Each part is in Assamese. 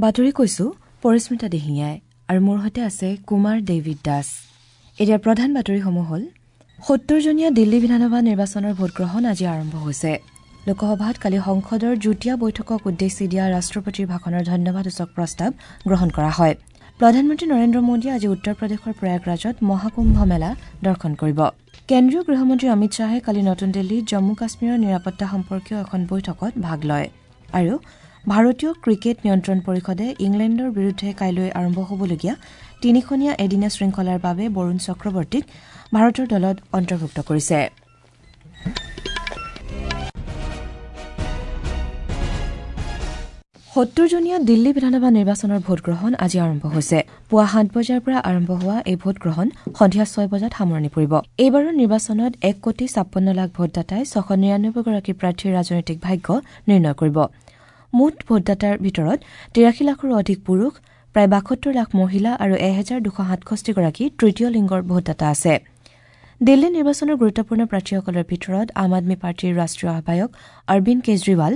বাতৰি কৈছো পৰিস্মিতা দিহিঙীয়াই আৰু মোৰ সৈতে আছে কুমাৰ ডেভিড দাস। এতিয়া প্ৰধান বাতৰিসমূহ হ'ল ৭০জনীয়া দিল্লী বিধানসভা নিৰ্বাচনৰ ভোটগ্ৰহণ আজি আৰম্ভ হৈছে। লোকসভাত কালি সংসদৰ যুটীয়া বৈঠকক উদ্দেশ্যি দিয়া ৰাষ্ট্ৰপতিৰ ভাষণৰ ধন্যবাদসূচক প্ৰস্তাৱ গ্ৰহণ কৰা হয়। প্ৰধানমন্ত্ৰী নৰেন্দ্ৰ মোদীয়ে আজি উত্তৰ প্ৰদেশৰ প্ৰয়াগৰাজত মহাকুম্ভ মেলা দৰ্শন কৰিব। কেন্দ্ৰীয় গৃহমন্ত্ৰী অমিত শ্বাহে কালি নতুন দিল্লীত জম্মু কাশ্মীৰৰ নিৰাপত্তা সম্পৰ্কীয় এখন বৈঠকত ভাগ লয়। আৰু ভাৰতীয় ক্ৰিকেট নিয়ন্ত্ৰণ পৰিষদে ইংলেণ্ডৰ বিৰুদ্ধে কাইলৈ আৰম্ভ হ'বলগীয়া তিনিখনীয়া এদিনীয়া শৃংখলাৰ বাবে বৰুণ চক্ৰৱৰ্তীক ভাৰতৰ দলত অন্তৰ্ভুক্ত কৰিছে। সত্তৰজনীয়া দিল্লী বিধানসভা নিৰ্বাচনৰ ভোটগ্ৰহণ আজি আৰম্ভ হৈছে। পুৱা ৭ বজাৰ পৰা আৰম্ভ হোৱা এই ভোটগ্ৰহণ সন্ধিয়া ৬ বজাত সামৰণি পৰিব। এইবাৰৰ নিৰ্বাচনত ১,৫৬,০০,০০০ ভোটদাতাই ৬৯৯গৰাকী প্ৰাৰ্থীৰ ৰাজনৈতিক ভাগ্য নিৰ্ণয় কৰিব। মুঠ ভোটদাতাৰ ভিতৰত ৮৩ লাখৰো অধিক পুৰুষ, প্ৰায় ৭২ লাখ মহিলা আৰু ১২৬৭গৰাকী তৃতীয় লিংগৰ ভোটদাতা আছে। দিল্লী নিৰ্বাচনৰ গুৰুত্বপূৰ্ণ প্ৰাৰ্থীসকলৰ ভিতৰত আম আদমী পাৰ্টীৰ ৰাষ্ট্ৰীয় আহ্বায়ক অৰবিন্দ কেজৰিৱাল,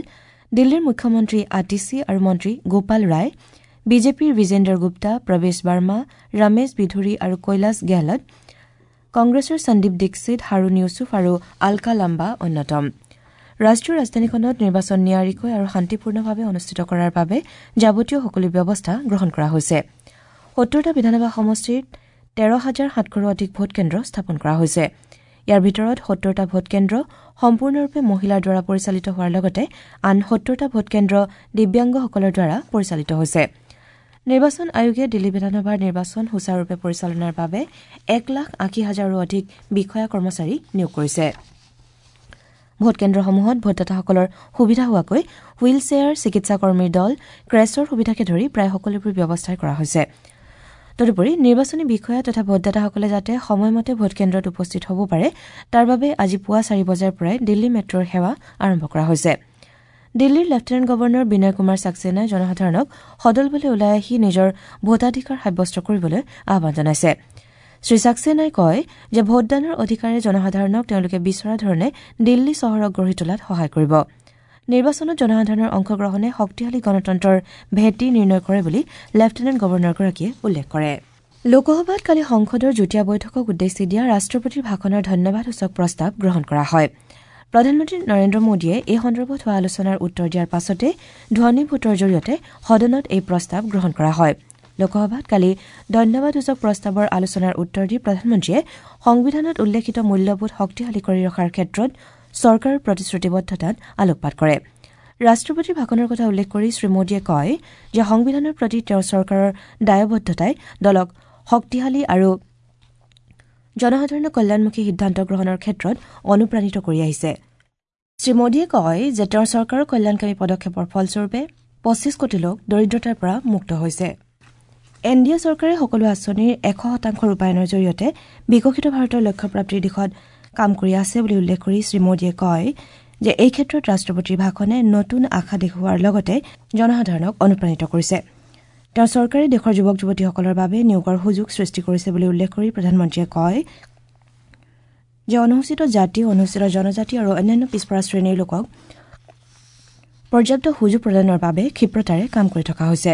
দিল্লীৰ মুখ্যমন্ত্ৰী আতিশী আৰু মন্ত্ৰী গোপাল ৰায়, বিজেপিৰ বিজেন্দৰ গুপ্তা, প্ৰৱেশ বাৰ্মা, ৰমেশ বিধুৰী আৰু কৈলাশ গেহলট, কংগ্ৰেছৰ সন্দীপ দীক্ষিত, হাৰুণ ইউছুফ আৰু আলকা লাম্বা অন্যতম। ৰাষ্ট্ৰীয় ৰাজধানীখনত নিৰ্বাচন নিয়াৰিকৈ আৰু শান্তিপূৰ্ণভাৱে অনুষ্ঠিত কৰাৰ বাবে যাৱতীয় সকলো ব্যৱস্থা গ্ৰহণ কৰা হৈছে। ৭০টা বিধানসভা সমষ্টিত ১৩,৭০০ৰো অধিক ভোটকেন্দ্ৰ স্থাপন কৰা হৈছে। ইয়াৰ ভিতৰত ৭০টা ভোটকেন্দ্ৰ সম্পূৰ্ণৰূপে মহিলাৰ দ্বাৰা পৰিচালিত হোৱাৰ লগতে আন ৭০টা ভোটকেন্দ্ৰ দিব্যাংগসকলৰ দ্বাৰা পৰিচালিত হৈছে। নিৰ্বাচন আয়োগে দিল্লী বিধানসভাৰ নিৰ্বাচন সুচাৰুৰূপে পৰিচালনাৰ বাবে ১,৮০,০০০ৰো অধিক বিষয়া কৰ্মচাৰী নিয়োগ কৰিছে। ভোটকেন্দ্ৰসমূহত ভোটদাতাসকলৰ সুবিধা হোৱাকৈ হুইল চেয়াৰ, চিকিৎসা কৰ্মীৰ দল, ক্ৰেছৰ সুবিধাকে ধৰি প্ৰায় সকলোবোৰ ব্যৱস্থাই কৰা হৈছে। তদুপৰি নিৰ্বাচনী বিষয়া তথা ভোটদাতাসকলে যাতে সময়মতে ভোটকেন্দ্ৰত উপস্থিত হ'ব পাৰে তাৰ বাবে আজি পুৱা ৪ বজাৰ পৰাই দিল্লী মেট্ৰ'ৰ সেৱা আৰম্ভ কৰা হৈছে। দিল্লীৰ লেফটেনেণ্ট গভৰ্ণৰ বিনয় কুমাৰ ছাক্সেনাই জনসাধাৰণক সদলবলে ওলাই আহি নিজৰ ভোটাধিকাৰ সাব্যস্ত কৰিবলৈ আহ্বান জনাইছে। শ্ৰী ছাক্সেনাই কয় যে ভোটদানৰ অধিকাৰে জনসাধাৰণক তেওঁলোকে বিচৰা ধৰণে দিল্লী চহৰক গঢ়ি তোলাত সহায় কৰিব। নিৰ্বাচনত জনসাধাৰণৰ অংশগ্ৰহণে শক্তিশালী গণতন্ত্ৰৰ ভেটি নিৰ্ণয় কৰে বুলি লেফটেনেণ্ট গভৰ্ণৰগৰাকীয়ে উল্লেখ কৰে। লোকসভাত কালি সংসদৰ যুটীয়া বৈঠকক উদ্দেশ্যি দিয়া ৰাষ্ট্ৰপতিৰ ভাষণৰ ধন্যবাদসূচক প্ৰস্তাৱ গ্ৰহণ কৰা হয়। প্ৰধানমন্ত্ৰী নৰেন্দ্ৰ মোদীয়ে এই সন্দৰ্ভত হোৱা আলোচনাৰ উত্তৰ দিয়াৰ পাছতে ধ্বনি ভোটৰ জৰিয়তে সদনত এই প্ৰস্তাৱ গ্ৰহণ কৰা হয়। লোকসভাত কালি ধন্যবাদসূচক প্ৰস্তাৱৰ আলোচনাৰ উত্তৰ দি প্ৰধানমন্ত্ৰীয়ে সংবিধানত উল্লেখিত মূল্যবোধ শক্তিশালী কৰি ৰখাৰ ক্ষেত্ৰত চৰকাৰৰ প্ৰতিশ্ৰুতিবদ্ধতাত আলোকপাত কৰে। ৰাষ্ট্ৰপতিৰ ভাষণৰ কথা উল্লেখ কৰি শ্ৰীমোদীয়ে কয় যে সংবিধানৰ প্ৰতি তেওঁৰ চৰকাৰৰ দায়বদ্ধতাই দলক শক্তিশালী আৰু জনসাধাৰণৰ কল্যাণমুখী সিদ্ধান্ত গ্ৰহণৰ ক্ষেত্ৰত অনুপ্ৰাণিত কৰি আহিছে। শ্ৰীমোদীয়ে কয় যে তেওঁৰ চৰকাৰৰ কল্যাণকামী পদক্ষেপৰ ফলস্বৰূপে ২৫ কোটি লোক দৰিদ্ৰতাৰ পৰা মুক্ত হৈছে। এন ডি এ চৰকাৰে সকলো আঁচনিৰ ১০০% ৰূপায়ণৰ জৰিয়তে বিকশিত ভাৰতৰ লক্ষ্যপ্ৰাপ্তিৰ দিশত কাম কৰি আছে বুলি উল্লেখ কৰি শ্ৰীমোদীয়ে কয় যে এই ক্ষেত্ৰত ৰাষ্ট্ৰপতিৰ ভাষণে নতুন আশা দেখুওৱাৰ লগতে জনসাধাৰণক অনুপ্ৰাণিত কৰিছে। তেওঁৰ চৰকাৰে দেশৰ যুৱক যুৱতীসকলৰ বাবে নিয়োগৰ সুযোগ সৃষ্টি কৰিছে বুলি উল্লেখ কৰি প্ৰধানমন্ত্ৰীয়ে কয় যে অনুসূচিত জাতি, অনুসূচিত জনজাতি আৰু অন্যান্য পিছপৰা শ্ৰেণীৰ লোকক পৰ্যাপ্ত সুযোগ প্ৰদানৰ বাবে ক্ষিপ্ৰতাৰে কাম কৰি থকা হৈছে।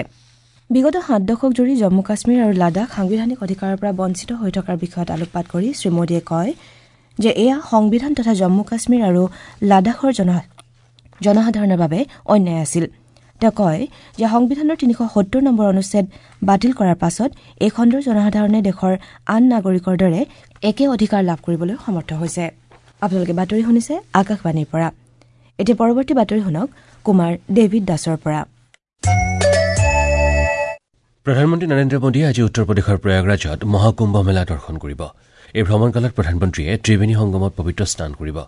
বিগত ৭ দশক জুৰি জম্মু কাশ্মীৰ আৰু লাডাখ সাংবিধানিক অধিকাৰৰ পৰা বঞ্চিত হৈ থকাৰ বিষয়ত আলোকপাত কৰি শ্ৰীমোদীয়ে কয় যে এয়া সংবিধান তথা জম্মু কাশ্মীৰ আৰু লাডাখৰ জনসাধাৰণৰ বাবে অন্যায় আছিল। তেওঁ কয় যে সংবিধানৰ ৩৭০ নম্বৰ অনুচ্ছেদ বাতিল কৰাৰ পাছত এই খণ্ডৰ জনসাধাৰণে দেশৰ আন নাগৰিকৰ দৰে একে অধিকাৰ লাভ কৰিবলৈ সমৰ্থ হৈছে। আপোনালোকে বাতৰি শুনিছে আকাশবাণীৰ পৰা। এতিয়া পৰৱৰ্তী বাতৰি শুনক কুমাৰ ডেভিড দাসৰ পৰা। প্ৰধানমন্ত্ৰী নৰেন্দ্ৰ মোদীয়ে আজি উত্তৰ প্ৰদেশৰ প্ৰয়াগৰাজত মহাকুম্ভ মেলা দৰ্শন কৰিব। এই ভ্ৰমণকালত প্ৰধানমন্ত্ৰীয়ে ত্ৰিবেণী সংগমত পবিত্ৰ স্নান কৰিব।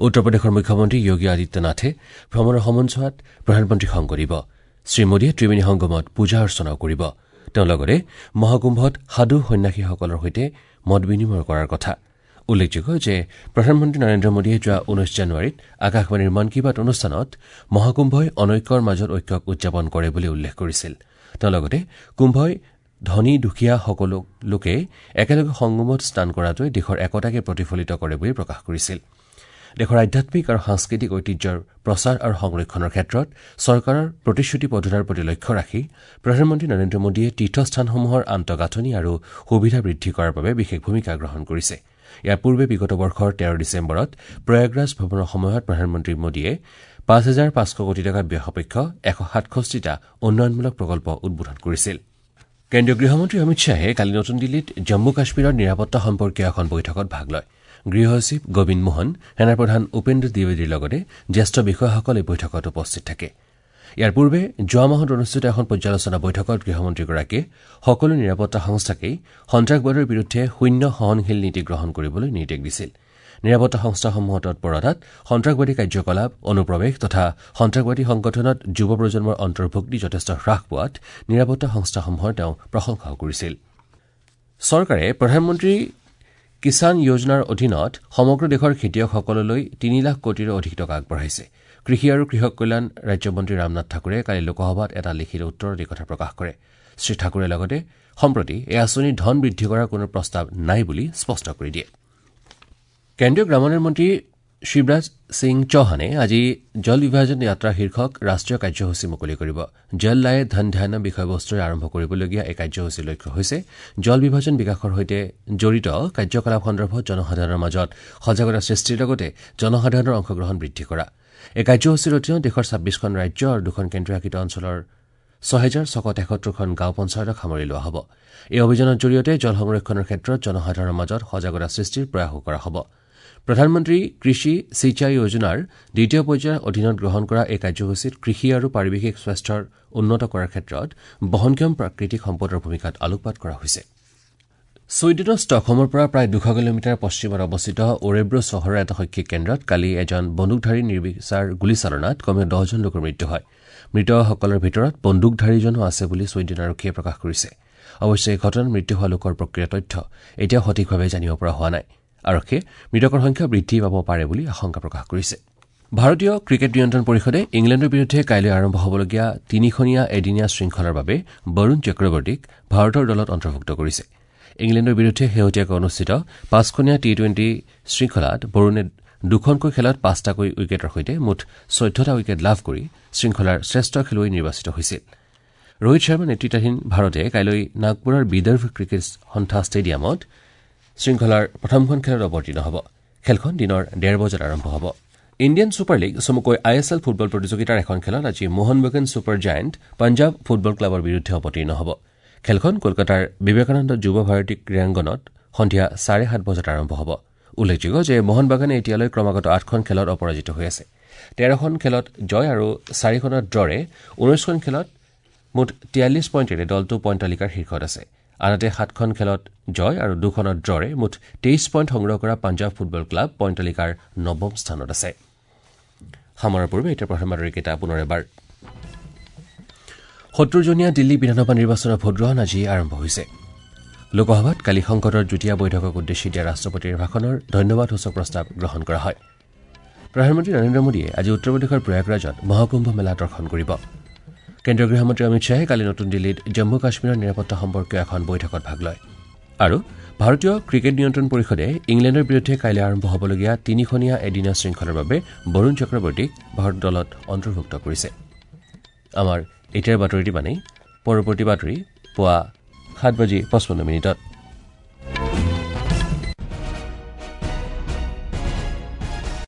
উত্তৰ প্ৰদেশৰ মুখ্যমন্ত্ৰী যোগী আদিত্যনাথে ভ্ৰমণৰ সময়ছোৱাত প্ৰধানমন্ত্ৰীক সংগ দিব। শ্ৰীমোদীয়ে ত্ৰিবেণী সংগমত পূজা অৰ্চনাও কৰিব। তেওঁ লগতে মহাকুম্ভত সাধু সন্যাসীসকলৰ সৈতে মত বিনিময় কৰাৰ কথা। উল্লেখযোগ্য যে প্ৰধানমন্ত্ৰী নৰেন্দ্ৰ মোদীয়ে যোৱা ১৯ জানুৱাৰীত আকাশবাণীৰ মন কী বাত অনুষ্ঠানত মহাকুম্ভই অনৈক্যৰ মাজত ঐক্যক উদযাপন কৰে বুলি উল্লেখ কৰিছিল। তেওঁ লগতে কুম্ভই ধনী দুখীয়া সকলো লোকে একেলগে সংগমত স্নান কৰাটোৱে দেশৰ একতাকে প্ৰতিফলিত কৰে বুলি প্ৰকাশ কৰিছিল। দেশৰ আধ্যাত্মিক আৰু সাংস্কৃতিক ঐতিহ্যৰ প্ৰচাৰ আৰু সংৰক্ষণৰ ক্ষেত্ৰত চৰকাৰৰ প্ৰতিশ্ৰুতিবদ্ধতাৰ প্ৰতি লক্ষ্য ৰাখি প্ৰধানমন্ত্ৰী নৰেন্দ্ৰ মোদীয়ে তীৰ্থস্থানসমূহৰ আন্তঃগাঁথনি আৰু সুবিধা বৃদ্ধি কৰাৰ বাবে বিশেষ ভূমিকা গ্ৰহণ কৰিছে। ইয়াৰ পূৰ্বে বিগত বৰ্ষৰ ১৩ ডিচেম্বৰত প্ৰয়াগৰাজ ভ্ৰমণৰ সময়ত প্ৰধানমন্ত্ৰী মোদীয়ে ৫৫০০ কোটি টকা ব্যয় সাপেক্ষ ১৬৭টা উন্নয়নমূলক প্ৰকল্প উদ্বোধন কৰিছিল। কেন্দ্ৰীয় গৃহমন্ত্ৰী অমিত শ্বাহে কালি নতুন দিল্লীত জম্মু কাশ্মীৰৰ নিৰাপত্তা সম্পৰ্কীয় এখন বৈঠকত ভাগ লয়। গৃহ সচিব গোবিন্দ মোহন, সেনাপ্ৰধান উপেন্দ্ৰ দ্বিবেদীৰ লগতে জ্যেষ্ঠ বিষয়াসকল এই বৈঠকত উপস্থিত থাকে। ইয়াৰ পূৰ্বে যোৱা মাহত অনুষ্ঠিত এখন পৰ্যালোচনা বৈঠকত গৃহমন্ত্ৰীগৰাকীয়ে সকলো নিৰাপত্তা সংস্থাকেই সন্ত্ৰাসবাদৰ বিৰুদ্ধে শূন্য সহনশীল নীতি গ্ৰহণ কৰিবলৈ নিৰ্দেশ দিছিল। নিৰাপত্তা সংস্থাসমূহৰ তৎপৰতাত সন্ত্ৰাসবাদী কাৰ্যকলাপ, অনুপ্ৰৱেশ তথা সন্ত্ৰাসবাদী সংগঠনত যুৱ প্ৰজন্মৰ অন্তৰ্ভুক্তি যথেষ্ট হ্ৰাস পোৱাত নিৰাপত্তা সংস্থাসমূহৰ তেওঁ প্ৰশংসাও কৰিছিল। চৰকাৰে প্ৰধানমন্ত্ৰী কিষাণ যোজনাৰ অধীনত সমগ্ৰ দেশৰ খেতিয়কসকললৈ ৩ লাখ কোটিৰো অধিক টকা আগবঢ়াইছে। কৃষি আৰু কৃষক কল্যাণ ৰাজ্যমন্ত্ৰী ৰামনাথ ঠাকুৰে কালি লোকসভাত এটা লিখিত উত্তৰত এই কথা প্ৰকাশ কৰে। শ্ৰীঠাকুৰে লগতে সম্প্ৰতি এই আঁচনিৰ ধন বৃদ্ধি কৰাৰ কোনো প্ৰস্তাৱ নাই বুলি স্পষ্ট কৰি দিয়ে। কেন্দ্ৰীয় গ্ৰামোন্নয়ন মন্ত্ৰী শিৱৰাজ সিং চৌহানে আজি জল বিভাজন যাত্ৰা শীৰ্ষক ৰাষ্ট্ৰীয় কাৰ্যসূচী মুকলি কৰিব। জল লায়ে ধন ধ্যান বিষয়বস্তুৰে আৰম্ভ কৰিবলগীয়া এই কাৰ্যসূচীৰ লক্ষ্য হৈছে জল বিভাজন বিকাশৰ সৈতে জড়িত কাৰ্যকলাপ সন্দৰ্ভত জনসাধাৰণৰ মাজত সজাগতা সৃষ্টিৰ লগতে জনসাধাৰণৰ অংশগ্ৰহণ বৃদ্ধি কৰা। এই কাৰ্যসূচীৰ অধীনত দেশৰ ২৬খন ৰাজ্য আৰু ২খন কেন্দ্ৰীয় শাসিত অঞ্চলৰ ৬৬৭৩খন গাঁও পঞ্চায়তক সামৰি লোৱা হ'ব। এই অভিযানৰ জৰিয়তে জল সংৰক্ষণৰ ক্ষেত্ৰত জনসাধাৰণৰ মাজত সজাগতা সৃষ্টিৰ প্ৰয়াসো কৰা হ'ব। প্ৰধানমন্ত্ৰী কৃষি সিঁচাই যোজনাৰ দ্বিতীয় পৰ্যায়ৰ অধীনত গ্ৰহণ কৰা এই কাৰ্যসূচীত কৃষি আৰু পাৰিৱেশিক স্বাস্থ্যৰ উন্নত কৰাৰ ক্ষেত্ৰত বহনক্ষম প্ৰাকৃতিক সম্পদৰ ভূমিকাত আলোকপাত কৰা হৈছে। ছুইডেনৰ ষ্টকহোমৰ পৰা প্ৰায় ২০০ কিলোমিটাৰ পশ্চিমত অৱস্থিত ওৰেব্ৰ চহৰৰ এটা শৈক্ষিক কেন্দ্ৰত কালি এজন বন্দুকধাৰী নিৰ্বিচাৰ গুলীচালনাত কমেও ১০জন লোকৰ মৃত্যু হয়। মৃতসকলৰ ভিতৰত বন্দুকধাৰীজনো আছে বুলি ছুইডেন আৰক্ষীয়ে প্ৰকাশ কৰিছে। অৱশ্যে এই ঘটনাত মৃত্যু হোৱা লোকৰ প্ৰকৃত তথ্য এতিয়াও সঠিকভাৱে জানিব পৰা হোৱা নাই। আৰক্ষীয়ে মৃতকৰ সংখ্যা বৃদ্ধি পাব পাৰে বুলি আশংকা প্ৰকাশ কৰিছে। ভাৰতীয় ক্ৰিকেট নিয়ন্ত্ৰণ পৰিষদে ইংলেণ্ডৰ বিৰুদ্ধে কাইলৈ আৰম্ভ হ'বলগীয়া তিনিখনীয়া এদিনীয়া শৃংখলাৰ বাবে বৰুণ চক্ৰৱৰ্তীক ভাৰতৰ দলত অন্তৰ্ভুক্ত কৰিছে। ইংলেণ্ডৰ বিৰুদ্ধে শেহতীয়াকৈ অনুষ্ঠিত ৫খনীয়া টি-টুৱেণ্টি শৃংখলাত বৰুণে দুখনকৈ খেলত ৫টাকৈ উইকেটৰ সৈতে মুঠ ১৪টা উইকেট লাভ কৰি শৃংখলাৰ শ্ৰেষ্ঠ খেলুৱৈ নিৰ্বাচিত হৈছিল। ৰোহিত শৰ্মা নেতৃত্বাধীন ভাৰতে কাইলৈ নাগপুৰৰ বিদৰ্ভ ক্ৰিকেট সন্থা ষ্টেডিয়ামত শৃংখলাৰ প্ৰথমখন খেলত অৱতীৰ্ণ হ'ব। খেলখন দিনৰ ১:৩০ বজাত আৰম্ভ হ'ব। ইণ্ডিয়ান ছুপাৰ লীগ চমুকৈ I S L football প্ৰতিযোগিতাৰ এখন খেলত আজি মোহন বাগান ছুপাৰ জায়েণ্ট পঞ্জাৱ ফুটবল ক্লাবৰ বিৰুদ্ধে অৱতীৰ্ণ হ'ব। খেলখন কলকাতাৰ বিবেকানন্দ যুৱ ভাৰতী ক্ৰীড়াংগনত সন্ধিয়া ৭:৩০ বজাত আৰম্ভ হ'ব। উল্লেখযোগ্য যে মোহন বাগানে এতিয়ালৈ ক্ৰমাগত ৮খন খেলত অপৰাজিত হৈ আছে। ১৩খন খেলত জয় আৰু ৪খনত ড্ৰৰে ১৯খন খেলত মুঠ ৪৩ পইণ্টেৰে দলটো পইণ্ট তালিকাৰ শীৰ্ষত আছে। আনহাতে ৭খন খেলত জয় আৰু ২খনত ড্ৰৰে মুঠ ২৩ পইণ্ট সংগ্ৰহ কৰা পাঞ্জাৱ ফুটবল ক্লাব পইণ্ট তালিকাৰ নৱম স্থানত আছে। সামৰাৰ পূৰ্বে এতিয়া প্ৰথম বাতৰিকেইটা পুনৰ এবাৰ। ৭০জনীয়া দিল্লী বিধানসভা নিৰ্বাচনৰ ভোটগ্ৰহণ আজি আৰম্ভ হৈছে। লোকসভাত কালি সংসদৰ যুটীয়া বৈঠকক উদ্দেশ্যি দিয়া ৰাষ্ট্ৰপতিৰ ভাষণৰ ধন্যবাদসূচক প্ৰস্তাৱ গ্ৰহণ কৰা হয়। প্ৰধানমন্ত্ৰী নৰেন্দ্ৰ মোদীয়ে আজি উত্তৰ প্ৰদেশৰ প্ৰয়াগৰাজত মহাকুম্ভ মেলা দৰ্শন কৰিব। কেন্দ্ৰীয় গৃহমন্ত্ৰী অমিত শ্বাহে কালি নতুন দিল্লীত জম্মু কাশ্মীৰৰ নিৰাপত্তা সম্পৰ্কীয় এখন বৈঠকত ভাগ লয়। আৰু ভাৰতীয় ক্ৰিকেট নিয়ন্ত্ৰণ পৰিষদে ইংলেণ্ডৰ বিৰুদ্ধে কাইলৈ আৰম্ভ হ'বলগীয়া তিনিখনীয়া এদিনীয়া শৃংখলাৰ বাবে বৰুণ চক্ৰৱৰ্তীক ভাৰত দলত অন্তৰ্ভুক্ত কৰিছে। আমাৰ এতিয়াৰ বাতৰিটি মানেই পৰৱৰ্তী বাতৰি পুৱা ৭:৫৫।